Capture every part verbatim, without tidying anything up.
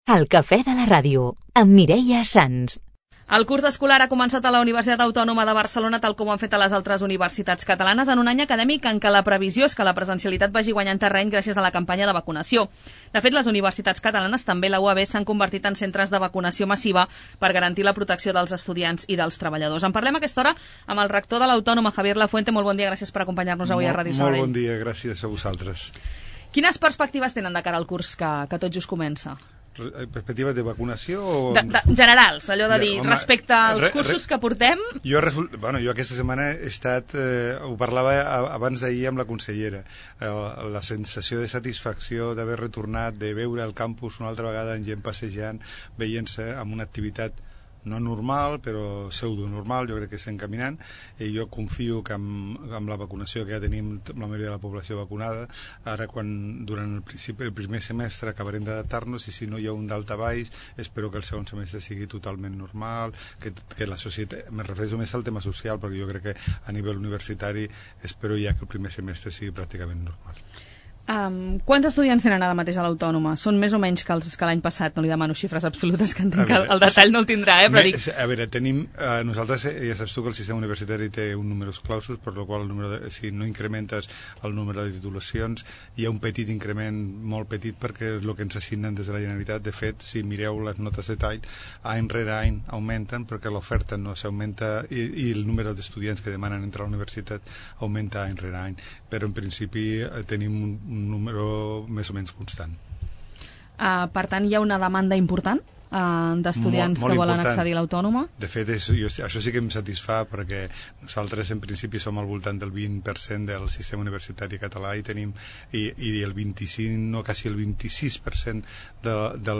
El cafè de la ràdio, amb Mireia Sans. El curs escolar ha començat a la Universitat Autònoma de Barcelona, tal com han fet a les altres universitats catalanes, en un any acadèmic en què la previsió és que la presencialitat vagi guanyant terreny gràcies a la campanya de vacunació. De fet, les universitats catalanes, també la U A B, s'han convertit en centres de vacunació massiva per garantir la protecció dels estudiants i dels treballadors. En parlem a aquesta hora amb el rector de l'Autònoma, Javier Lafuente. Molt bon dia, gràcies per acompanyar-nos avui molt, a Ràdio Sabadell. Molt bon dia, gràcies a vosaltres. Quines perspectives tenen de cara al curs que, que tot just comença? Perspectives de vacunació o... De, de, generals, allò de dir, ja, home, respecte als re, cursos re, que portem... Jo, result, bueno, jo aquesta setmana he estat, eh, ho parlava abans d'ahir amb la consellera, eh, la sensació de satisfacció d'haver retornat, de veure el campus una altra vegada amb gent passejant, veient-se amb una activitat no normal, però pseudo-normal, jo crec que estem caminant, i jo confio que amb, amb la vacunació que ja tenim la majoria de la població vacunada, ara quan durant el, principi, el primer semestre acabarem d'adaptar-nos, i si no hi ha un daltabaix, espero que el segon semestre sigui totalment normal, que, que la societat, me refereixo més al tema social, perquè jo crec que a nivell universitari espero ja que el primer semestre sigui pràcticament normal. Um, quants estudiants tenen ara mateix a l'Autònoma? Són més o menys que els que l'any passat? No li demano xifres absolutes, que entenc que el, el detall no el tindrà, eh? Però dic... A veure, tenim... Eh, nosaltres, ja saps tu que el sistema universitari té un número clausus, per la qual el número de, si no incrementes el número de titulacions, hi ha un petit increment, molt petit, perquè és el que ens assignen des de la Generalitat. De fet, si mireu les notes de tall, any rere any augmenten, perquè l'oferta no s'augmenta i, i el número d'estudiants que demanen entrar a la universitat augmenta any rere any. Però en principi eh, tenim un un número més o menys constant. Uh, per tant, hi ha una demanda important uh, d'estudiants que volen important. accedir a l'Autònoma? De fet, és, jo, això sí que em satisfà, perquè nosaltres en principi som al voltant del vint per cent del sistema universitari català i tenim i, i el vint-i-cinc, no, quasi el vint-i-sis per cent de, de,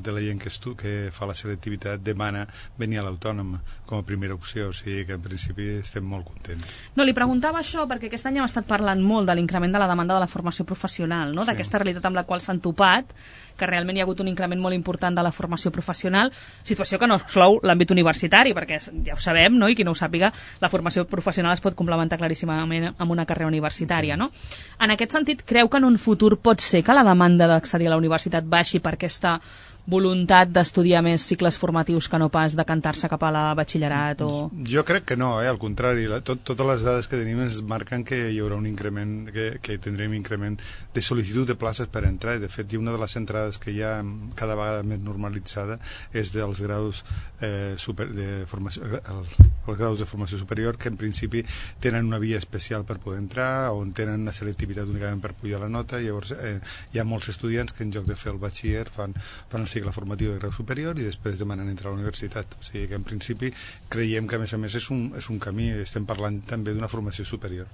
de la gent que, estu, que fa la selectivitat demana venir a l'Autònoma com a primera opció, o sigui que en principi estem molt contents. No, li preguntava això perquè aquest any hem estat parlant molt de l'increment de la demanda de la formació professional, no? D'aquesta sí. realitat amb la qual s'han topat, que realment hi ha hagut un increment molt important de la formació professional, situació que no exclou l'àmbit universitari, perquè ja ho sabem, no? I qui no ho sàpiga, la formació professional es pot complementar claríssimament amb una carrera universitària, sí. no? En aquest sentit, creu que en un futur pot ser que la demanda d'accedir a la universitat baixi per aquesta voluntat d'estudiar més cicles formatius que no pas de cantar-se cap a la batxillerat? O... Jo crec que no, eh? Al contrari, la, tot, totes les dades que tenim ens marquen que hi haurà un increment, que, que tindrem increment de sol·licitud de places per entrar, i de fet una de les entrades que hi ha cada vegada més normalitzada és dels graus eh, super, de formació, el, els graus de formació superior, que en principi tenen una via especial per poder entrar, on tenen una selectivitat únicament per pujar la nota, i llavors eh, hi ha molts estudiants que en lloc de fer el batxiller fan, fan el cicle formatiu de grau superior i després demanen entrar a la universitat. O sigui que en principi creiem que a més a més és un, és un camí, estem parlant també d'una formació superior.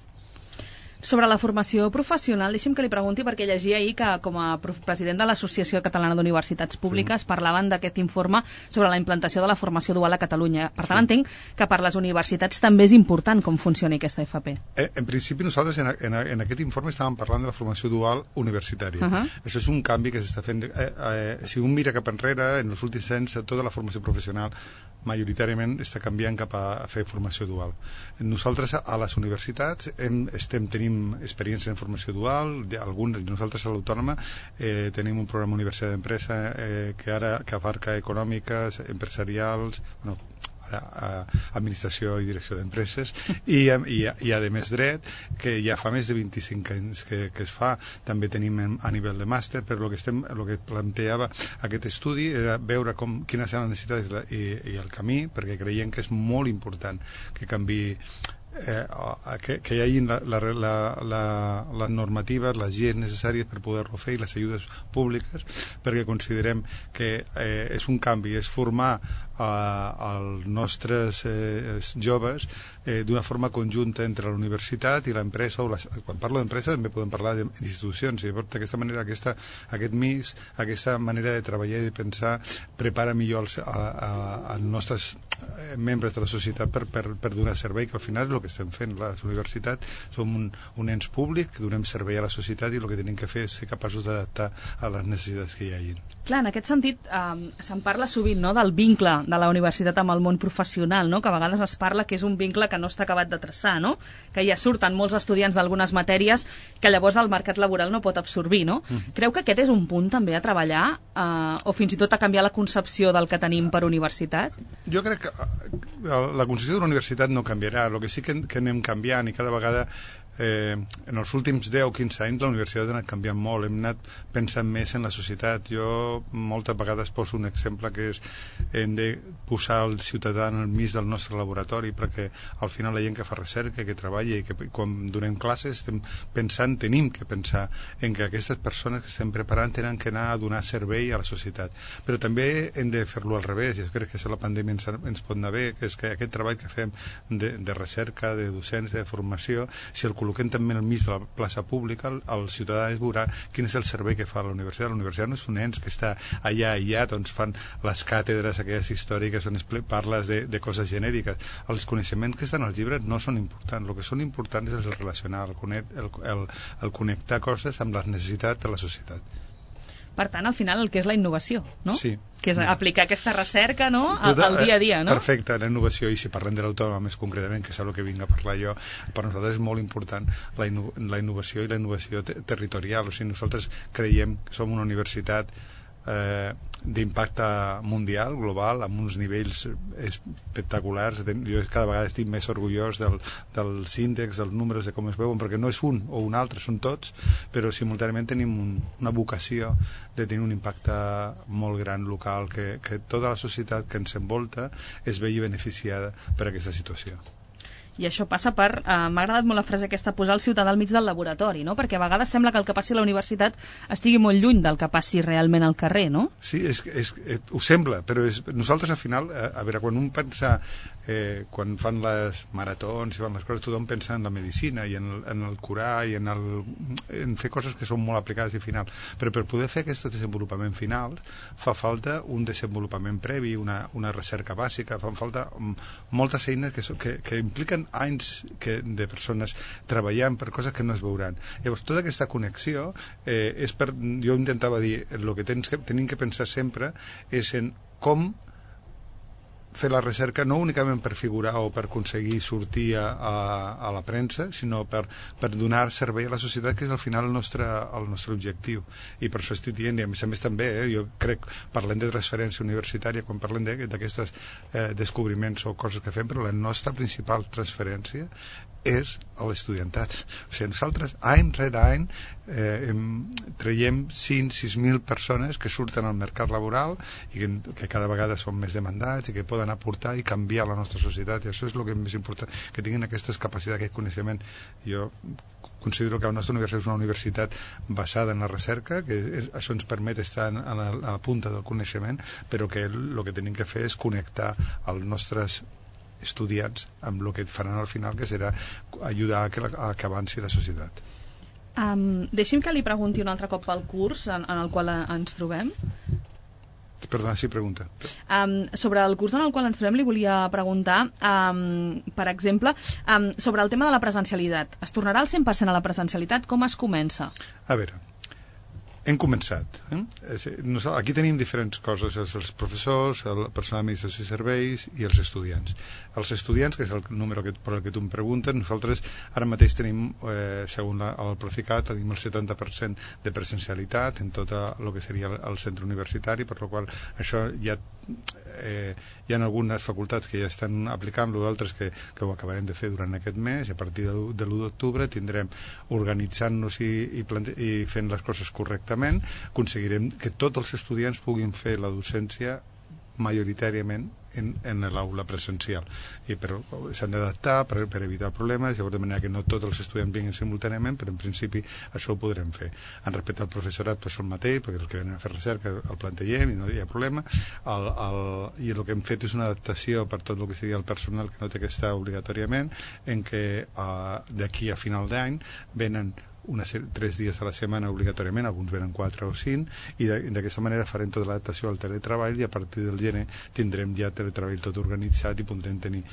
Sobre la formació professional, deixi'm que li pregunti, perquè llegia ahir que com a president de l'Associació Catalana d'Universitats Públiques sí. parlaven d'aquest informe sobre la implantació de la formació dual a Catalunya. Per tant, sí. entenc que per les universitats també és important com funcioni aquesta F P. Eh, en principi nosaltres en, en, en aquest informe estàvem parlant de la formació dual universitària. Uh -huh. Això és un canvi que s'està fent. Eh, eh, si un mira cap enrere, en els últims anys tota la formació professional majoritàriament està canviant cap a fer formació dual. Nosaltres a les universitats hem, estem, tenim experiència en formació dual, alguns, nosaltres a l'Autònoma eh, tenim un programa Universitat d'Empresa eh, que ara que abarca econòmiques, empresarials, bueno, ara, administració i direcció d'empreses i, i, i a més dret, que ja fa més de vint-i-cinc anys que, que es fa. També tenim a nivell de màster, però el que, estem, el que planteava aquest estudi era veure com, quines eren les necessitats i, i el camí, perquè creiem que és molt important que canvi Eh, que, que hi hagi la, la, la, la, les normatives, les lleis necessàries per poder-lo fer i les ajudes públiques, perquè considerem que eh, és un canvi, és formar eh, els nostres eh, joves eh, d'una forma conjunta entre la universitat i l'empresa. Quan parlo d'empresa també podem parlar d'institucions, i d'aquesta manera aquesta, aquest mix, aquesta manera de treballar i de pensar prepara millor els, a, a, a nostres membres de la societat per, per, per donar servei, que al final és el que estem fent. Les universitats som un, un ens públic que donem servei a la societat i el que tenim que fer és ser capaços d'adaptar a les necessitats que hi hagin. Clar, en aquest sentit, eh, se'n parla sovint, no?, del vincle de la universitat amb el món professional, no?, que a vegades es parla que és un vincle que no està acabat de traçar, no?, que ja surten molts estudiants d'algunes matèries que llavors el mercat laboral no pot absorbir, no? Mm. Creu que aquest és un punt també a treballar eh, o fins i tot a canviar la concepció del que tenim per universitat? Jo crec que la concepció de la universitat no canviarà. El que sí que, que anem canviant i cada vegada Eh, en els últims deu o quinze anys la universitat ha anat canviant molt, hem anat pensant més en la societat. Jo moltes vegades poso un exemple que és hem de posar el ciutadà en el mig del nostre laboratori, perquè al final la gent que fa recerca, que treballa i que quan donem classes estem pensant, tenim que pensar en que aquestes persones que estem preparant tenen que anar a donar servei a la societat, però també hem de fer-lo al revés. Jo crec que si la pandèmia ens, ens pot anar bé, que és que aquest treball que fem de, de recerca, de docència, de formació, si el col·loquem també al mig de la plaça pública, el, el ciutadà es veurà quin és el servei que fa la universitat. La universitat no és un ens que està allà aïllat, on fan les càtedres aquelles històriques on es parles de, de coses genèriques. Els coneixements que estan als llibres no són importants. El que són importants és el relacionar, el, connect, el, el, el connectar coses amb les necessitats de la societat. Per tant, al final, el que és la innovació, no? Sí. Que és aplicar aquesta recerca, no?, al, al dia a dia, no? Perfecte, la innovació, i si parlem de l'autònoma més concretament, que és el que vinc a parlar jo, per nosaltres és molt important la, inno la innovació i la innovació te territorial. O sigui, nosaltres creiem que som una universitat eh, d'impacte mundial, global, amb uns nivells espectaculars. Jo cada vegada estic més orgullós del, dels índexs, dels números, de com es veuen, perquè no és un o un altre, són tots, però simultàniament tenim un, una vocació de tenir un impacte molt gran local, que, que tota la societat que ens envolta es vegi beneficiada per aquesta situació. I això passa per... Eh, m'ha agradat molt la frase aquesta, posar el ciutadà al mig del laboratori, no? Perquè a vegades sembla que el que passi a la universitat estigui molt lluny del que passi realment al carrer, no? Sí, és, és, és, ho sembla, però és, nosaltres al final, a, a veure, quan un pensa... Eh, quan fan les maratons i fan les coses, tothom pensa en la medicina i en el, en el curar i en, el, en fer coses que són molt aplicades i final, però per poder fer aquest desenvolupament final fa falta un desenvolupament previ, una, una recerca bàsica, fan falta moltes eines que, so, que, que impliquen anys que, de persones treballant per coses que no es veuran. Llavors tota aquesta connexió eh, és per, jo intentava dir, el que, tens que tenim que pensar sempre és en com fer la recerca no únicament per figurar o per aconseguir sortir a, a, a la premsa, sinó per, per donar servei a la societat, que és al final el nostre, el nostre objectiu. I per això estic dient, i a més a més també, eh, jo crec, parlem de transferència universitària, quan parlem d'aquestes eh, descobriments o coses que fem, però la nostra principal transferència és a l'estudiantat. O sigui, nosaltres, any rere any, eh, traiem cinc a sis mil persones que surten al mercat laboral i que, que cada vegada són més demandats i que poden aportar i canviar la nostra societat, i això és el que és més important, que tinguin aquestes capacitats, aquest coneixement. Jo considero que la nostra universitat és una universitat basada en la recerca, que és, això ens permet estar a la, a la punta del coneixement, però que el que tenim que fer és connectar els nostres estudiants amb el que faran al final, que serà ajudar a que, a que avanci la societat. Um, deixi'm que li pregunti un altre cop pel curs en, en el qual ens trobem. Perdona, sí, pregunta. Um, sobre el curs en el qual ens trobem li volia preguntar, um, per exemple, um, sobre el tema de la presencialitat. Es tornarà al cent per cent a la presencialitat? Com es comença? A veure, hem començat. Eh? Aquí tenim diferents coses, els, els professors, el personal d'administració i serveis i els estudiants. Els estudiants, que és el número que, per el que tu em preguntes, nosaltres ara mateix tenim, eh, segons la, el Procicat, tenim el setanta per cent de presencialitat en tot el que seria el, el centre universitari, per la qual això ja eh, hi ha algunes facultats que ja estan aplicant-lo, d'altres que, que ho acabarem de fer durant aquest mes, i a partir de, de l'u d'octubre tindrem, organitzant-nos i, i, i fent les coses correctament, aconseguirem que tots els estudiants puguin fer la docència majoritàriament en, en l'aula presencial, i però s'han d'adaptar per, per evitar problemes, llavors de manera que no tots els estudiants vinguin simultàniament, però en principi això ho podrem fer. En respecte al professorat, pues, el mateix, perquè els que venen a fer recerca el plantegem i no hi ha problema, el, el, i el que hem fet és una adaptació per tot el que seria el personal que no té que estar obligatòriament, en què uh, d'aquí a final d'any venen una, tres dies a la setmana obligatòriament, alguns venen quatre o cinc, i d'aquesta manera farem tota l'adaptació al teletreball, i a partir del gener tindrem ja teletreball tot organitzat i podrem tenir,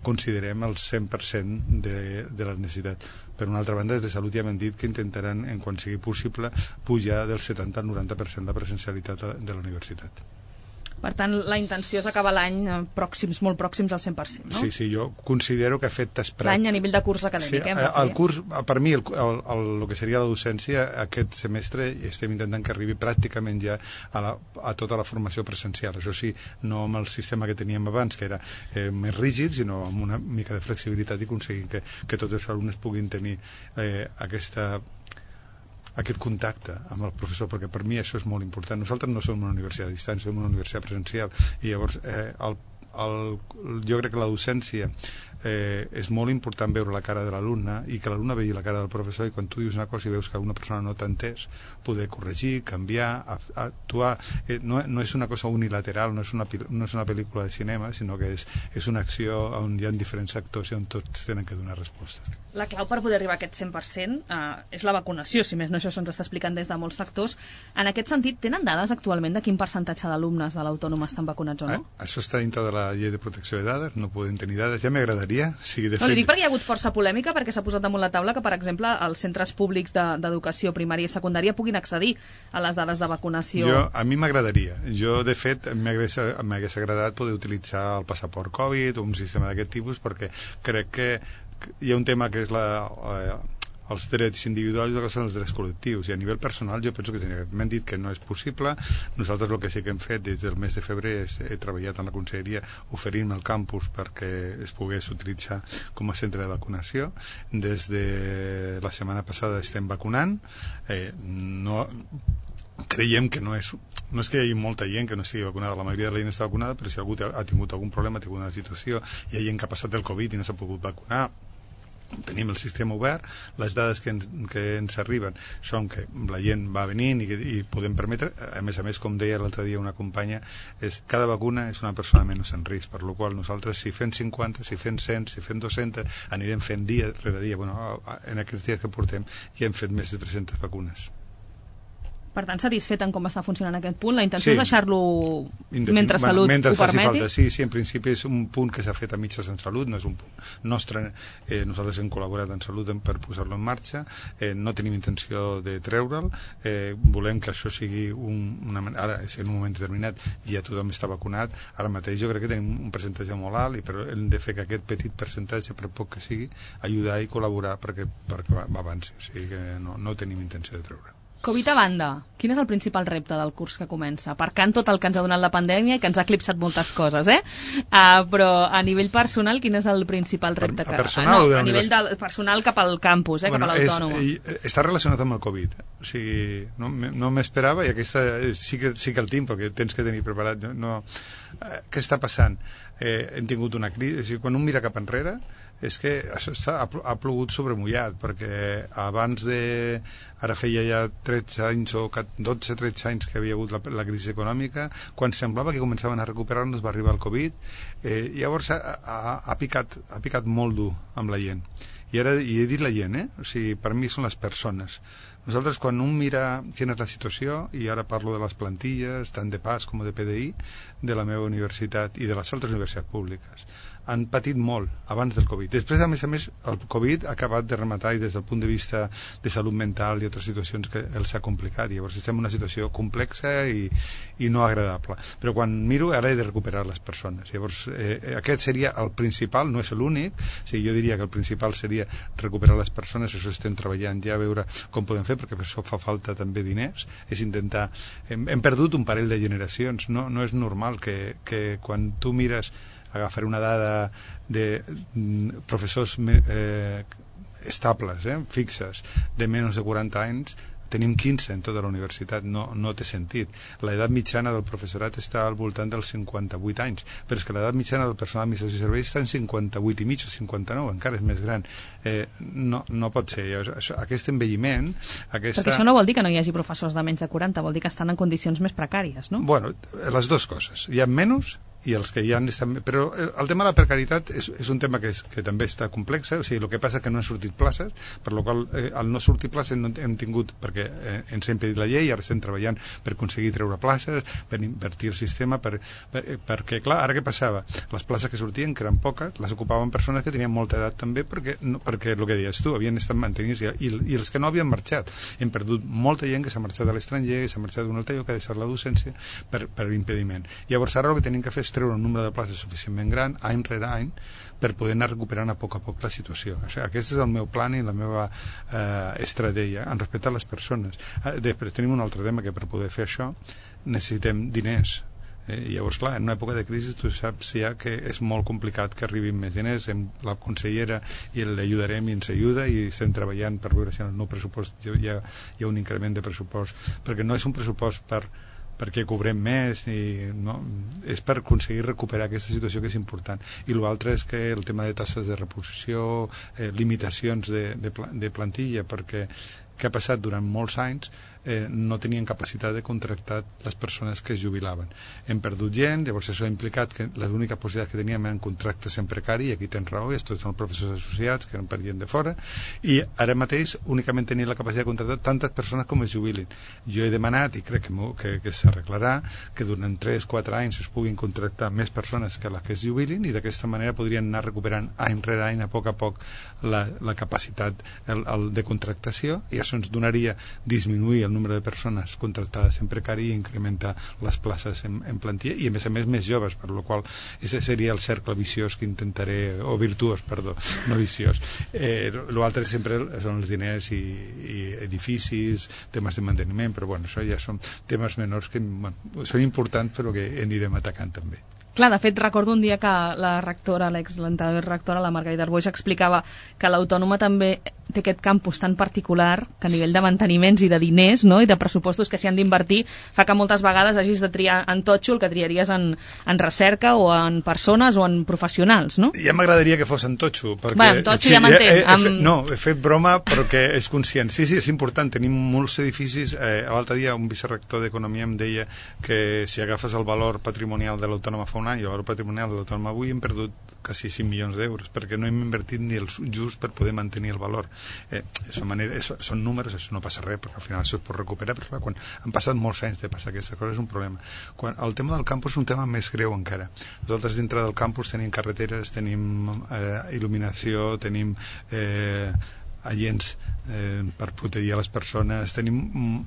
considerem, el cent per cent de, de la necessitat. Per una altra banda, des de Salut ja m'han dit que intentaran, en quan sigui possible, pujar del setanta al noranta per cent la presencialitat de la universitat. Per tant, la intenció és acabar l'any pròxims, molt pròxims al cent per cent, no? Sí, sí, jo considero que a efectes pràctics... L'any a nivell de curs acadèmic, sí, eh? El curs, per mi, el, el, el, el que seria la docència, aquest semestre estem intentant que arribi pràcticament ja a, la, a tota la formació presencial. Això sí, no amb el sistema que teníem abans, que era eh, més rígid, sinó amb una mica de flexibilitat i aconseguir que, que tots els alumnes puguin tenir eh, aquesta... aquest contacte amb el professor, perquè per mi això és molt important. Nosaltres no som una universitat a distància, som una universitat presencial, i llavors eh, el, el, jo crec que la docència eh, és molt important veure la cara de l'alumne i que l'alumne vegi la cara del professor, i quan tu dius una cosa i veus que una persona no t'ha entès, poder corregir, canviar, actuar. Eh, no, no és una cosa unilateral, no és una, no és una pel·lícula de cinema, sinó que és, és una acció on hi ha diferents actors i on tots tenen que donar resposta. La clau per poder arribar a aquest cent per cent eh, és la vacunació, si més no això se'ns està explicant des de molts sectors. En aquest sentit, tenen dades actualment de quin percentatge d'alumnes de l'Autònoma estan vacunats o no? Ah, això està dintre de la llei de protecció de dades, no podem tenir dades, ja m'agradaria. Sí, de no, fet... li dic perquè hi ha hagut força polèmica, perquè s'ha posat damunt la taula que, per exemple, els centres públics d'educació de, primària i secundària puguin accedir a les dades de vacunació. Jo, a mi m'agradaria. Jo, de fet, m'hagués agradat poder utilitzar el passaport Covid o un sistema d'aquest tipus, perquè crec que hi ha un tema que és la, eh, els drets individuals i el que són els drets col·lectius, i a nivell personal jo penso que m'han dit que no és possible. Nosaltres el que sí que hem fet des del mes de febrer és, he treballat en la conselleria oferint el campus perquè es pogués utilitzar com a centre de vacunació. Des de la setmana passada estem vacunant, eh, no... creiem que no és, no és que hi hagi molta gent que no estigui vacunada, la majoria de la gent està vacunada, però si algú ha tingut algun problema, ha tingut una situació, hi ha gent que ha passat el Covid i no s'ha pogut vacunar, tenim el sistema obert, les dades que ens, que ens arriben són que la gent va venint i, i podem permetre, a més a més, com deia l'altre dia una companya, és, cada vacuna és una persona menys en risc, per la qual nosaltres si fem cinquanta, si fem cent, si fem dos-cents, anirem fent dia rere dia. Bueno, en aquests dies que portem ja hem fet més de tres-centes vacunes. Per tant, satisfet en com està funcionant aquest punt? La intenció sí. és deixar-lo mentre Salut bueno, mentre ho permeti? Falta. Sí, sí, en principi és un punt que s'ha fet a mitges en Salut, no és un punt nostre. Eh, nosaltres hem col·laborat en Salut per posar-lo en marxa, eh, no tenim intenció de treure'l, eh, volem que això sigui un, una... Ara, en un moment determinat, ja tothom està vacunat, ara mateix jo crec que tenim un percentatge molt alt, i però hem de fer que aquest petit percentatge, per poc que sigui, ajudar i col·laborar perquè, perquè avanci, o sigui que no, no tenim intenció de treure. Covid a banda, quin és el principal repte del curs que comença? Aparcant tot el que ens ha donat la pandèmia i que ens ha eclipsat moltes coses, eh? Uh, però a nivell personal, quin és el principal repte? Per, a personal que... no, a nivell del personal cap al campus, eh? Bueno, cap a l'Autònoma. És, està relacionat amb el Covid. O sigui, no, no m'esperava, i aquesta sí que, sí que el tinc, perquè tens que tenir preparat. No, no, eh, què està passant? Eh, hem tingut una crisi, o sigui, quan un mira cap enrere, és que això ha, ha plogut sobre mullat, perquè abans de... ara feia ja tretze anys o dotze tretze anys que havia hagut la, la crisi econòmica, quan semblava que començaven a recuperar-nos va arribar el Covid, eh, i llavors ha, ha, ha, picat, ha picat molt dur amb la gent. I ara i he dit la gent, eh? O sigui, per mi són les persones. Nosaltres, quan un mira quina és la situació, i ara parlo de les plantilles, tant de P A S com de P D I, de la meva universitat i de les altres universitats públiques, han patit molt abans del Covid. Després, a més a més, el Covid ha acabat de rematar, i des del punt de vista de salut mental i altres situacions que els ha complicat. Llavors estem en una situació complexa i, i no agradable. Però quan miro, ara he de recuperar les persones. Llavors, eh, aquest seria el principal, no és l'únic. O sigui, jo diria que el principal seria recuperar les persones, això estem treballant ja, a veure com podem fer, perquè per això fa falta també diners. És intentar... Hem, hem perdut un parell de generacions. No, no és normal que, que quan tu mires, agafar una dada de mm, professors eh, estables, eh, fixes, de menys de quaranta anys, tenim quinze en tota la universitat. No, no té sentit. L'edat mitjana del professorat està al voltant dels cinquanta-vuit anys, però és que l'edat mitjana del personal d'administració i serveis està en cinquanta-vuit i mig o cinquanta-nou, encara és més gran. Eh, no, no pot ser. Això, aquest envelliment... Aquesta... Perquè això no vol dir que no hi hagi professors de menys de quaranta, vol dir que estan en condicions més precàries, no? Bueno, les dues coses. Hi ha menys i els que hi ha estan... Però el tema de la precarietat és, és un tema que, és, que també està complex, o sigui, el que passa és que no han sortit places, per la qual eh, al no sortir places no hem tingut, perquè eh, ens ha impedit la llei, ara estem treballant per aconseguir treure places, per invertir el sistema, per, per, perquè, clar, ara què passava? Les places que sortien, que eren poques, les ocupaven persones que tenien molta edat també, perquè, no, perquè el que deies tu, havien estat mantenint i, i, i els que no havien marxat. Hem perdut molta gent que s'ha marxat a l'estranger, que s'ha marxat d'un altre lloc, que ha deixat la docència per, per impediment. Llavors ara el que tenim que fer és treure un número de places suficientment gran, any rere any, per poder anar recuperant a poc a poc la situació. O sigui, aquest és el meu plan i la meva eh, estratègia en respecte a les persones. Eh, després tenim un altre tema, que per poder fer això necessitem diners. Eh, llavors, clar, en una època de crisi tu saps ja que és molt complicat que arribin més diners. Hem, la consellera i l'ajudarem i ens ajuda i estem treballant per veure si en el nou pressupost hi ha, hi ha un increment de pressupost, perquè no és un pressupost per perquè cobrem més, i, no, és per aconseguir recuperar aquesta situació, que és important. I l'altre és que el tema de tasses de reposició, eh, limitacions de, de, de plantilla, perquè què ha passat durant molts anys, eh, no tenien capacitat de contractar les persones que es jubilaven. Hem perdut gent, llavors això ha implicat que l'única possibilitat que teníem eren contractes en precari, i aquí tens raó, i tots són professors associats que eren per gent de fora, i ara mateix únicament tenien la capacitat de contractar tantes persones com es jubilin. Jo he demanat, i crec que, que, que s'arreglarà, que durant tres quatre anys es puguin contractar més persones que les que es jubilin, i d'aquesta manera podrien anar recuperant any rere any, a poc a poc, la, la capacitat el, el de contractació, i això ens donaria disminuir el número de persones contractades en precari i incrementar les places en, en plantilla, i a més a més més joves, per la qual ese seria el cercle viciós que intentaré, o virtuós, perdó, no viciós. Eh, l'altre sempre són els diners i, i edificis, temes de manteniment, però bueno, això ja són temes menors que bueno, són importants, però que anirem atacant també. Clar, de fet, recordo un dia que la rectora, l'ex-l'anterior rectora, la Margarida Arboix, explicava que l'Autònoma també té aquest campus tan particular que a nivell de manteniments i de diners, no?, i de pressupostos que s'hi han d'invertir, fa que moltes vegades hagis de triar en totxo el que triaries en, en recerca o en persones o en professionals, no? Ja m'agradaria que fos en totxo. Perquè, bueno, en totxo sí, ja m'entenc. Amb... No, he fet broma perquè és conscient. Sí, sí, és important. Tenim molts edificis. Eh, L'altre dia un vicerector d'Economia em deia que si agafes el valor patrimonial de l'Autònoma fa un any i el valor patrimonial de l'Autònoma avui, hem perdut quasi cinc milions d'euros, perquè no hem invertit ni el just per poder mantenir el valor. Eh, són, manera, és, són números, això no passa res, perquè al final això es pot recuperar, però clar, quan han passat molts anys de passar aquesta cosa és un problema. Quan, el tema del campus és un tema més greu encara. Nosaltres dintre del campus tenim carreteres, tenim eh, il·luminació, tenim eh, agents eh, per protegir a les persones, tenim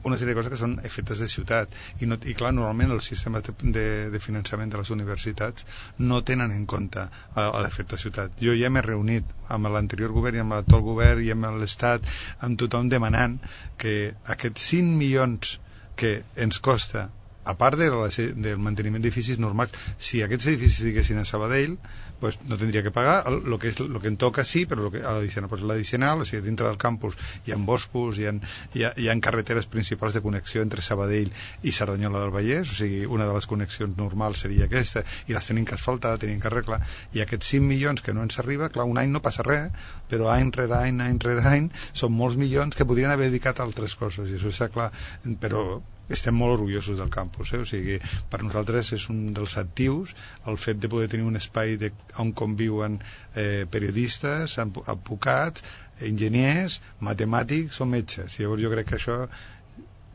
una sèrie de coses que són efectes de ciutat, i, no, i clar, normalment els sistemes de, de, de finançament de les universitats no tenen en compte l'efecte de ciutat. Jo ja m'he reunit amb l'anterior govern i amb l'actual govern i amb l'Estat, amb tothom demanant que aquests cinc milions que ens costa, a part de la, del manteniment d'edificis normals, si aquests edificis estiguessin a Sabadell, pues no tindria que pagar, el que, és, lo que em toca sí, però lo que, l'addicional, pues l'addicional, o sigui, dintre del campus hi ha boscos, hi ha, hi, ha, hi ha carreteres principals de connexió entre Sabadell i Cerdanyola del Vallès, o sigui, una de les connexions normals seria aquesta, i les tenim que asfaltar, tenim que arreglar, i aquests cinc milions que no ens arriba, clar, un any no passa res, però any rere any, any rere any, són molts milions que podrien haver dedicat a altres coses, i això està clar, però estem molt orgullosos del campus, eh? O sigui, per nosaltres és un dels actius el fet de poder tenir un espai de, on conviuen eh, periodistes, advocats, enginyers, matemàtics o metges. Llavors jo crec que això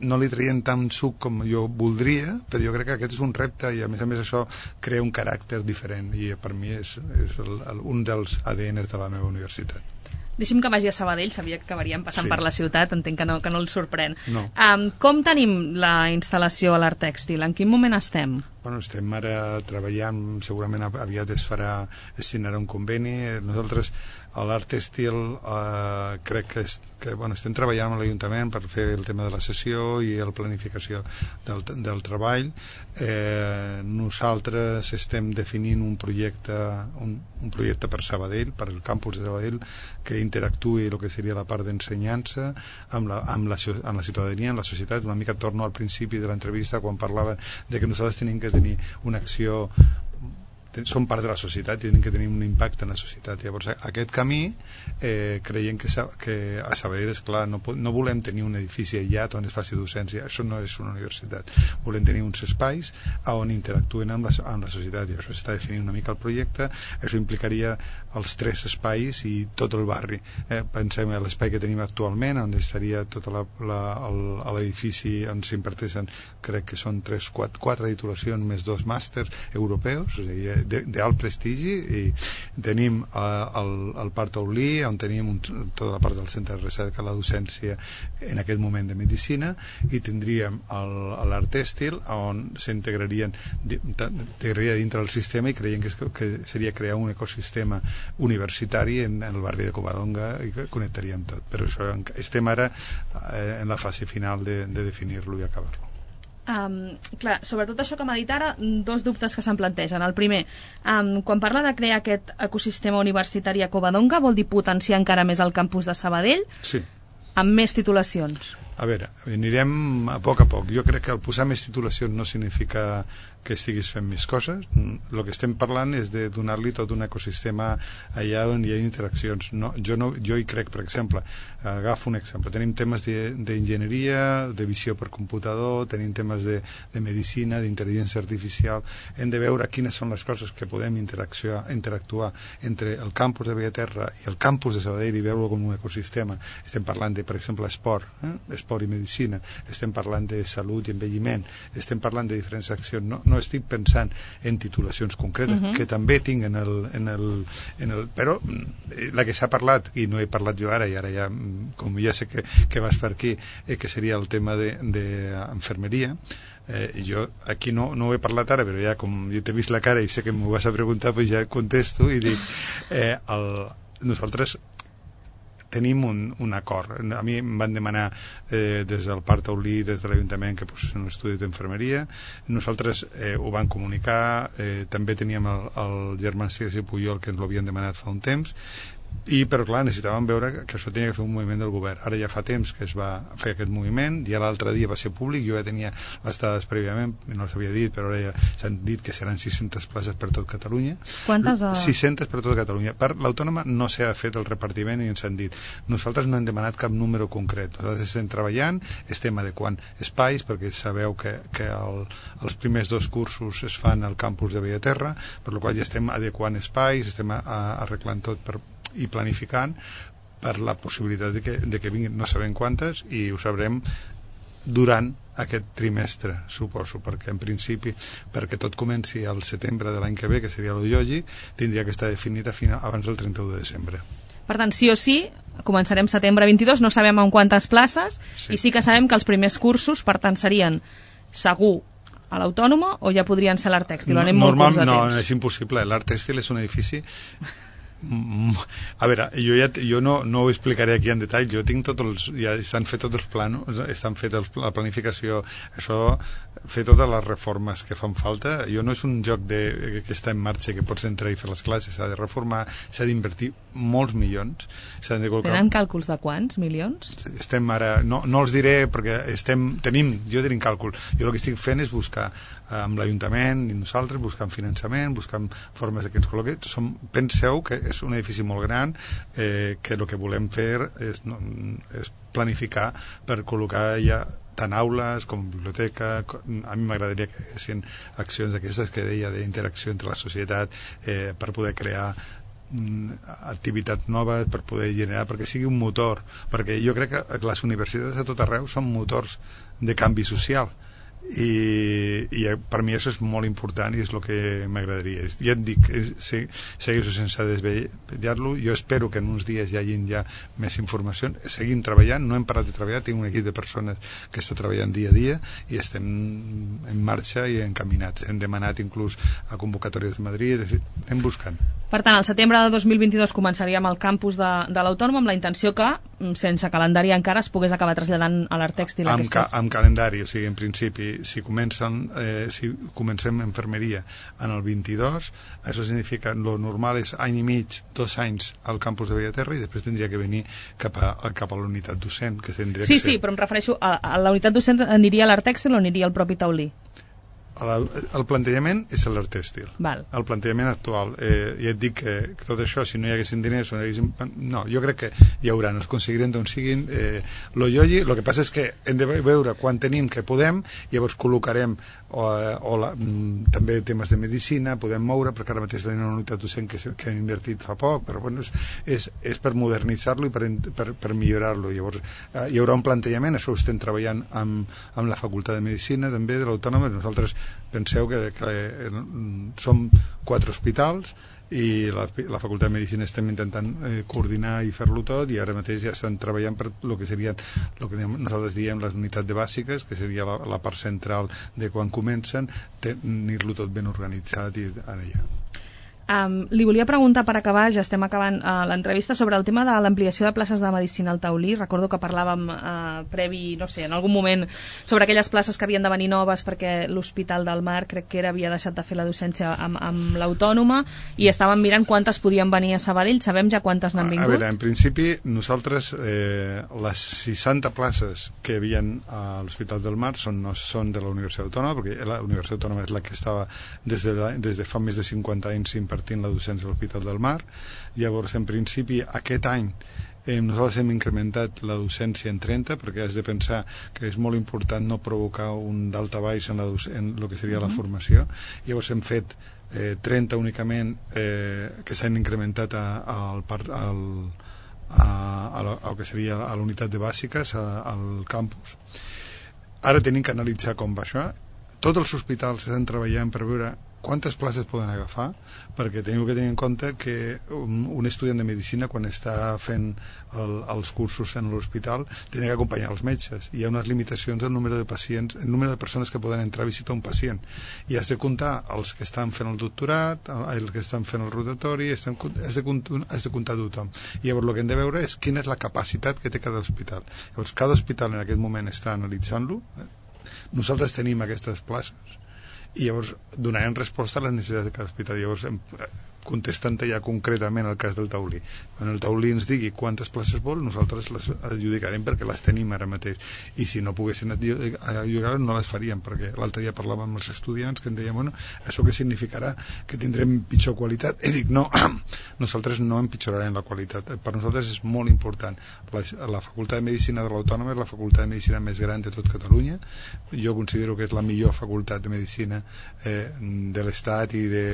no li traien tant suc com jo voldria, però jo crec que aquest és un repte i a més a més això crea un caràcter diferent i per mi és, és el, el, un dels A D Ns de la meva universitat. Deixi'm que vagi a Sabadell, sabia que acabaríem passant sí. per la ciutat, entenc que no, que no el sorprèn. No. Um, com tenim la instal·lació a l'Art Tèxtil? En quin moment estem? Bueno, estem ara treballant, segurament aviat es farà, es signarà un conveni. Nosaltres a l'Art Tèxtil eh, crec que, est, que bueno, estem treballant amb l'Ajuntament per fer el tema de la sessió i la planificació del, del treball. Eh, nosaltres estem definint un projecte, un, un projecte per Sabadell, per el campus de Sabadell, que interactuï el que seria la part d'ensenyança amb la, amb, la, amb la ciutadania, amb la societat. Una mica torno al principi de l'entrevista quan parlava de que nosaltres tenim que tenir una acció són part de la societat i tenen que tenir un impacte en la societat. Llavors, aquest camí eh, creiem que, que a Sabadell, és clar, no, no volem tenir un edifici aïllat on es faci docència, això no és una universitat. Volem tenir uns espais on interactuen amb la, amb la societat, i això està definint una mica el projecte. Això implicaria els tres espais i tot el barri. Eh, pensem en l'espai que tenim actualment, on estaria tot l'edifici on s'imparteixen, crec que són tres, quatre, quatre titulacions més dos màsters europeus, és a dir, d'alt prestigi, i tenim eh, el, el Parc Taulí, on tenim un, tota la part del centre de recerca, la docència en aquest moment de medicina, i tindríem l'art tèxtil, on s'integrarien integraria dintre del sistema, i creiem que, és, que seria crear un ecosistema universitari en, en el barri de Covadonga, i que connectaríem tot. Però això, estem ara eh, en la fase final de, de definir-lo i acabar-lo. Um, clar, sobretot això que m'ha dit ara, dos dubtes que se'm plantegen. El primer, um, quan parla de crear aquest ecosistema universitari a Covadonga, vol dir potenciar encara més el campus de Sabadell? Sí. Amb més titulacions? A veure, anirem a poc a poc. Jo crec que el posar més titulacions no significa que estiguis fent més coses. El que estem parlant és de donar-li tot un ecosistema allà on hi ha interaccions. No, jo, no, jo hi crec, per exemple, agafo un exemple, tenim temes d'enginyeria, de, de visió per computador, tenim temes de, de medicina, d'intel·ligència artificial. Hem de veure quines són les coses que podem interactuar, interactuar entre el campus de Bellaterra i el campus de Sabadell i veure-ho com un ecosistema. Estem parlant de, per exemple, esport, eh? esport i medicina, estem parlant de salut i envelliment, estem parlant de diferents accions. No, no estic pensant en titulacions concretes, uh-huh. que també tinc en el, en el, en el... Però la que s'ha parlat, i no he parlat jo ara, i ara ja, com ja sé que, que vas per aquí, eh, que seria el tema d'enfermeria, eh, jo aquí no, no ho he parlat ara, però ja com jo t'he vist la cara i sé que m'ho vas a preguntar, doncs ja contesto i dic, eh, el, nosaltres tenim un, un acord. A mi em van demanar eh, des del Parc Taulí, des de l'Ajuntament, que posessin un estudi d'infermeria. Nosaltres eh, ho vam comunicar, eh, també teníem el, el germà Cires i Puyol, que ens l'havien demanat fa un temps, i però clar, necessitàvem veure que això tenia que fer un moviment del govern. Ara ja fa temps que es va fer aquest moviment, ja l'altre dia va ser públic, jo ja tenia les dades prèviament, no les havia dit, però ara ja s'han dit que seran sis-centes places per tot Catalunya. Quantes? A... sis-centes per tot Catalunya. Per l'autònoma no s'ha fet el repartiment i ens han dit. Nosaltres no hem demanat cap número concret. Nosaltres estem treballant, estem adequant espais, perquè sabeu que, que el, els primers dos cursos es fan al campus de Bellaterra, per la qual ja estem adequant espais, estem a, a, arreglant tot per i planificant per la possibilitat de que, de que vinguin, no sabem quantes, i ho sabrem durant aquest trimestre, suposo, perquè en principi, perquè tot comenci al setembre de l'any que ve, que seria lo lògic, tindria que estar definit a final, abans del trenta-u de desembre. Per tant, sí o sí, començarem setembre vint-i-dos, no sabem en quantes places, sí. I sí que sabem que els primers cursos, per tant, serien segur a l'Autònoma, o ja podrien ser l'Art Tèxtil? No, normal, no, és impossible. L'Art Tèxtil és un edifici... A veure, jo, ja, jo no, no ho explicaré aquí en detall, jo tinc tots els, ja estan fets tots els plans, estan fets la planificació, això, fer totes les reformes que fan falta. Jo no és un joc de, que està en marxa, que pots entrar i fer les classes, s'ha de reformar, s'ha d'invertir molts milions. De col·locar... Tenen càlculs de quants milions? Estem ara, no, no els diré perquè estem, tenim, jo tenim càlcul, jo el que estic fent és buscar amb l'Ajuntament i nosaltres, buscant finançament, buscant formes de que ens col·loqui. Som, penseu que és un edifici molt gran, eh, que el que volem fer és, no, és planificar per col·locar ja tant aules com biblioteca. A mi m'agradaria que hi haguessin accions d'aquestes que deia d'interacció entre la societat, eh, per poder crear activitats noves, per poder generar, perquè sigui un motor, perquè jo crec que les universitats a tot arreu són motors de canvi social, i, i per mi això és molt important i és el que m'agradaria. Ja et dic, segueixo sense desvetllar-lo. Jo espero que en uns dies hi hagin ja més informació. Seguim treballant, no hem parat de treballar, tinc un equip de persones que està treballant dia a dia i estem en marxa i encaminats. Hem demanat inclús a convocatòries de Madrid, anem buscant. Per tant, al setembre de dos mil vint-i-dos començaríem al campus de, de l'Autònoma, amb la intenció que, sense calendari encara, es pogués acabar traslladant a l'Art Tèxtil amb, ca, amb calendari, o sigui, en principi, si comencen, eh, si comencem enfermeria en el vint-i-dos, això significa, lo normal és any i mig, dos anys al campus de Bellaterra, i després tindria que venir cap a, cap a la unitat docent, que tindria sí, que ser... Sí, però em refereixo a, a la unitat docent. Aniria a l'Art Tèxtil o aniria al propi Taulí? el, el plantejament és l'art tèxtil. Val. El plantejament actual. Eh, ja et dic que, que tot això, si no hi haguessin diners, no, hi haguessin... no, jo crec que hi haurà, no es aconseguiran d'on siguin. Eh, lo llogi, el que passa és que hem de veure quan tenim que podem, llavors col·locarem o, o la, m, també temes de medicina, podem moure, perquè ara mateix tenim una unitat docent que, que hem invertit fa poc, però bueno, és, és, és per modernitzar-lo i per, per, per millorar-lo. Llavors eh, hi haurà un plantejament, això ho estem treballant amb, amb la Facultat de Medicina també de l'Autònoma. Nosaltres penseu que, que eh, som quatre hospitals i la, la Facultat de Medicina estem intentant eh, coordinar i fer-lo tot, i ara mateix ja estan treballant per el que serien el que nosaltres diem les unitats de bàsiques, que seria la, la part central de quan comencen, tenir-lo tot ben organitzat i allà. Um, li volia preguntar per acabar, ja estem acabant uh, l'entrevista, sobre el tema de l'ampliació de places de medicina al Taulí. Recordo que parlàvem uh, previ, no sé, en algun moment sobre aquelles places que havien de venir noves perquè l'Hospital del Mar, crec que era, havia deixat de fer la docència amb, amb l'Autònoma, i estàvem mirant quantes podien venir a Sabadell. Sabem ja quantes n'han vingut? A veure, en principi nosaltres eh, les seixanta places que hi havia a l'Hospital del Mar són, no són de la Universitat Autònoma, perquè la Universitat Autònoma és la que estava des de, la, des de fa més de cinquanta anys impartint la docència a l'Hospital del Mar. Llavors, en principi, aquest any eh, nosaltres hem incrementat la docència en trenta, perquè has de pensar que és molt important no provocar un daltabaix en, la en el que seria la formació. Llavors hem fet eh, trenta únicament eh, que s'han incrementat a, a, al, al, a, a, a, a que seria a la unitat de bàsiques, a, al campus. Ara tenim que analitzar com va això. Tots els hospitals estan treballant per veure quantes places poden agafar, perquè teniu que tenir en compte que un, un estudiant de medicina, quan està fent el, els cursos en l'hospital, té que acompanyar els metges. Hi ha unes limitacions del número de pacients, el número de persones que poden entrar a visitar un pacient, i has de comptar els que estan fent el doctorat, els que estan fent el rotatori, has de, has de, has de comptar tothom. I llavors el que hem de veure és quina és la capacitat que té cada hospital. Llavors cada hospital en aquest moment està analitzant-lo. Nosaltres tenim aquestes places i llavors donarem resposta a les necessitats de cada hospital. Llavors, contestant ja concretament el cas del Taulí, quan el Taulí ens digui quantes places vol, nosaltres les adjudicarem perquè les tenim ara mateix, i si no poguessin adjudicar no les faríem, perquè l'altre dia parlàvem amb els estudiants que em deien, bueno, això què significarà? Que tindrem pitjor qualitat? I dic, no, nosaltres no empitjorarem la qualitat. Per nosaltres és molt important. La, la Facultat de Medicina de l'Autònoma és la Facultat de Medicina més gran de tot Catalunya. Jo considero que és la millor facultat de Medicina eh, de l'Estat i de,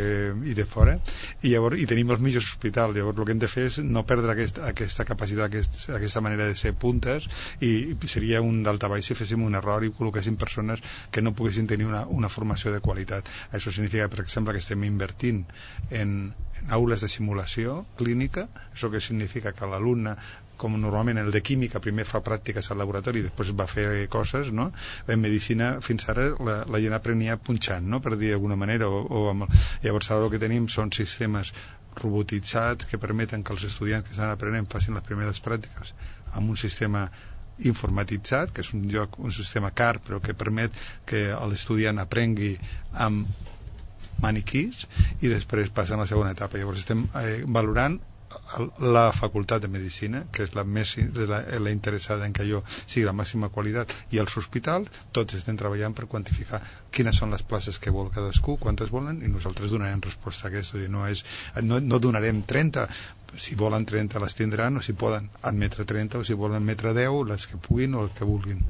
i de fora, i llavors i tenim els millors hospitals. Llavors el que hem de fer és no perdre aquesta, aquesta capacitat, aquest, aquesta manera de ser puntes, i seria un daltabaix si féssim un error i col·loquéssim persones que no poguessin tenir una, una formació de qualitat. Això significa, per exemple, que estem invertint en, en aules de simulació clínica. Això que significa que l'alumne, com normalment el de química primer fa pràctiques al laboratori i després va fer coses, no? En medicina fins ara la, la gent aprenia punxant, no? Per dir d'alguna manera, o, o amb el... Llavors ara el que tenim són sistemes robotitzats que permeten que els estudiants que estan aprenent facin les primeres pràctiques amb un sistema informatitzat, que és un lloc, un sistema car, però que permet que l'estudiant aprengui amb maniquís i després passa a la segona etapa. Llavors estem eh, valorant la Facultat de Medicina, que és la més la, la interessada en que allò sigui la màxima qualitat, i els hospitals tots estem treballant per quantificar quines són les places que vol cadascú, quantes volen, i nosaltres donarem resposta a aquesta. No, és, no, no donarem trenta, si volen trenta les tindran, o si poden admetre trenta, o si volen admetre deu, les que puguin o el que vulguin.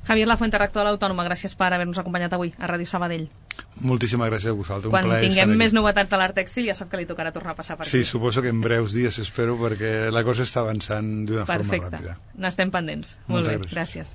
Javier Lafuente, rector de l'Autònoma, gràcies per haver-nos acompanyat avui a Ràdio Sabadell. Moltíssimes gràcies a vosaltres. Quan tinguem més novetats de l'art tèxtil ja sap que li tocarà tornar a passar per aquí. Sí, suposo que en breus dies espero, perquè la cosa està avançant d'una forma ràpida. Perfecte, n'estem pendents. Molt bé, gràcies.